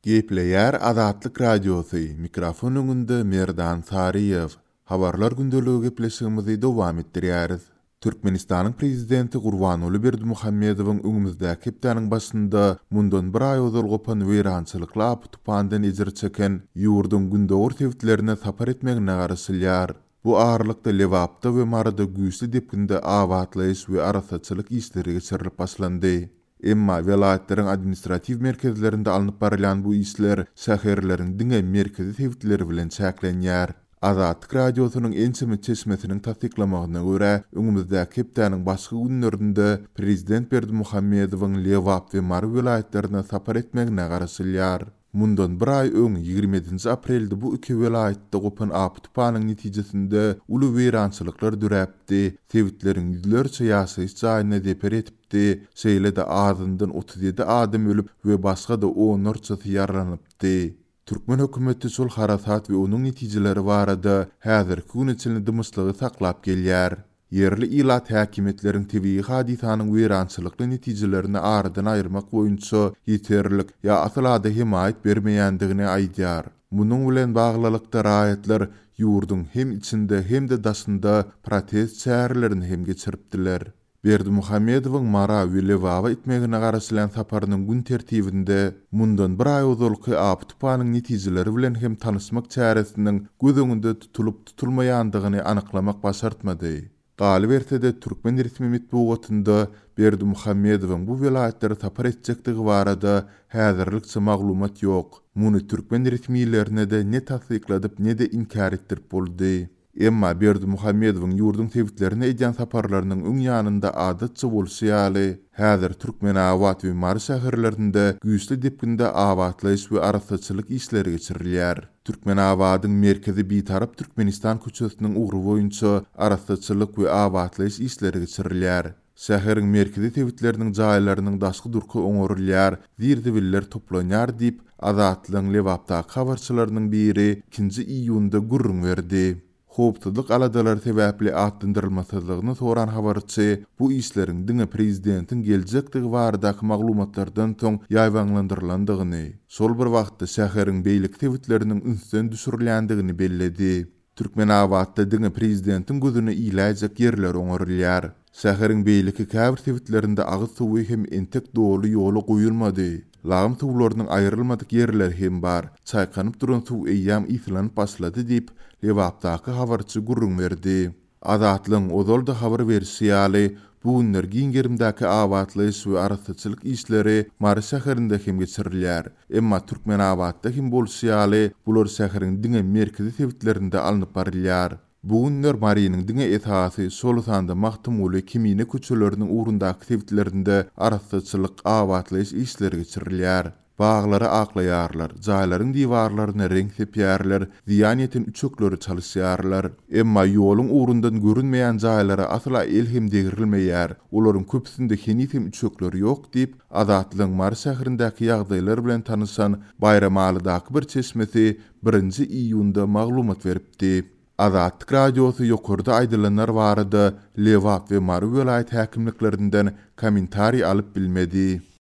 Gepleýär Azatlyk Radiosy, mikrofon öňünde Merdan Saryýew. Habarlar gündeligi gepleşigimizi dowam etdirýäris. Türkmenistanyň Prezidenti Gurbanguly Berdimuhamedowyň öňümizdäki hepdäniň başynda mundan bir aý ozal gopan weýrançylykly apy-tupandan ejir çeken ýurduň gündogar sebitlerine sapar etmegine garaşylýar. Bu aralykda Lebapda we Maryda güýçli depginde abatlaýyş we arassaçylyk işleri geçirilip başlandy. Emma welaýatlaryň administratiw merkezlerinde alnyp barylýan bu işler şäherleriň diňe merkezi sebitleri bilen çäklenýär. Azatlyk Radiosynyň ençeme çeşmesiniň tassyklamagyna görä, öňümizdäki hepdäniň başky günlerinde prezident Berdimuhamedowyň Lebap we Mary welaýatlaryna sapar etmegine garaşylýar. Mundan bir aý öň, 27-nji aprelde bu iki welaýatda gopan apy-tupanyň netijesinde uly weýrançylyklar döräpdi, sebitleriň ýüzlerçe ýaşaýyş jaýyna zeper ýetipdi, şeýle-de azyndan 37 adam ölüp we başga-da onlarçasy ýaralanypdy. Türkmen hökümeti şol harasat we onuň netijeleri barada häzirki güne çenli dymyşlygy saklap gelýär. Ýerli ilat häkimiýetleriň tebigy hadysanyň weýrançylykly netijelerini aradan aýyrmak boýunça ýeterlik ýa asyl-ada hemaýat bermeýändigini aýdýar. Munuň bilen baglylykda raýatlar ýurduň hem içinde hem-de daşynda protest çärelerini hem geçiripdiler. Berdimuhamedowyň Mara we Lebaba etmegine garaşylýan saparynyň gün tertibinde mundan bir aý ozalky apy-tupanyň netijeleri bilen hem tanyşmak çäresiniň göz öňünde tutulyp-tutulmaýandygyny anyklamak başartmady. Galyberse-de, türkmen resmi metbugatynda Berdimuhamedowyň bu welaýatlara sapar etjekdigi barada häzirlikçe maglumat ýok. Muny türkmen resmilerine-de ne tassykladyp, ne-de inkär etdirip boldy. Emma Berdimuhamedowyň ýurduň sebitlerine edýän saparlarynyň öň ýanynda adatça bolşy ýaly, häzir Türkmenabat we Mary şäherlerinde güýçli depginde abatlaýyş we arassaçylyk işleri geçirilýär. Türkmenabadyň merkezi Bitarap Türkmenistan köçesiniň ugry boýunça arassaçylyk we abatlaýyş işleri geçirilýär. Şäheriň merkezi sebitleriniň jaýlarynyň daşky durky oňarylýar, zir-zibiller toplanýar diýip, Azatlygyň Lebapdaky habarçylarynyň biri ikinji iýunda gürrüň berdi. Howpsuzlyk aladalary sebäpli atlandyrylmasyzlygyny soran habarçy bu işleriň diňe prezidentiň geljekdigi baradaky maglumatlardan soň ýaýbaňlandyrylandygyny, şol bir wagtda şäheriň beýleki sebitleriniň ünsden düşürilýändigini belledi. Türkmenabatda diňe prezidentiň gözüne iläýjek ýerler oňarylýar. Şäheriň beýleki käbir sebitlerinde agyz suwy hem entek doly ýola goýulmady. Lagym suwlarynyň aýrylmadyk ýerleri hem bar. Çaýkanyp duran suw eýýäm yslanyp başlady diýip, Lebapdaky habarçy gürrüň berdi. Azatlygyň ozal-da habar berşi ýaly, bu günler giň gerimdäki abatlaýyş we arassaçylyk işleri Mary şäherinde hem geçirilýär. Emma Türkmenabatda hem bolşy ýaly, bular şäheriň diňe merkezi sebitlerinde alnyp barylýar. Bu günler Marynyň diňe esasy, şol sanda Magtymguly, Kemine köçeleriniň ugrundaky sebitlerinde arassaçylyk, abatlaýyş işleri geçirilýär. Baglary aklaýarlar, jaýlaryň diwarlaryna reňk sepýärler, zyýan ýeten üçekleri çalyşýarlar. Emma ýoluň ugrundan görünmeýän jaýlara asla el hem degrilmeýär, olaryň köpüsinde heniz hem üçekler ýok diýip, Azatlygyň Mary şäherindäki ýagdaýlar bilen tanyşan Baýramalydaky bir çeşmesi birinji iýunda maglumat beripdi. Azatlyk Radiosy ýokarda aýdylanlar barada Lebap we Mary welaýat häkimliklerinden kommentariý alyp bilmedi.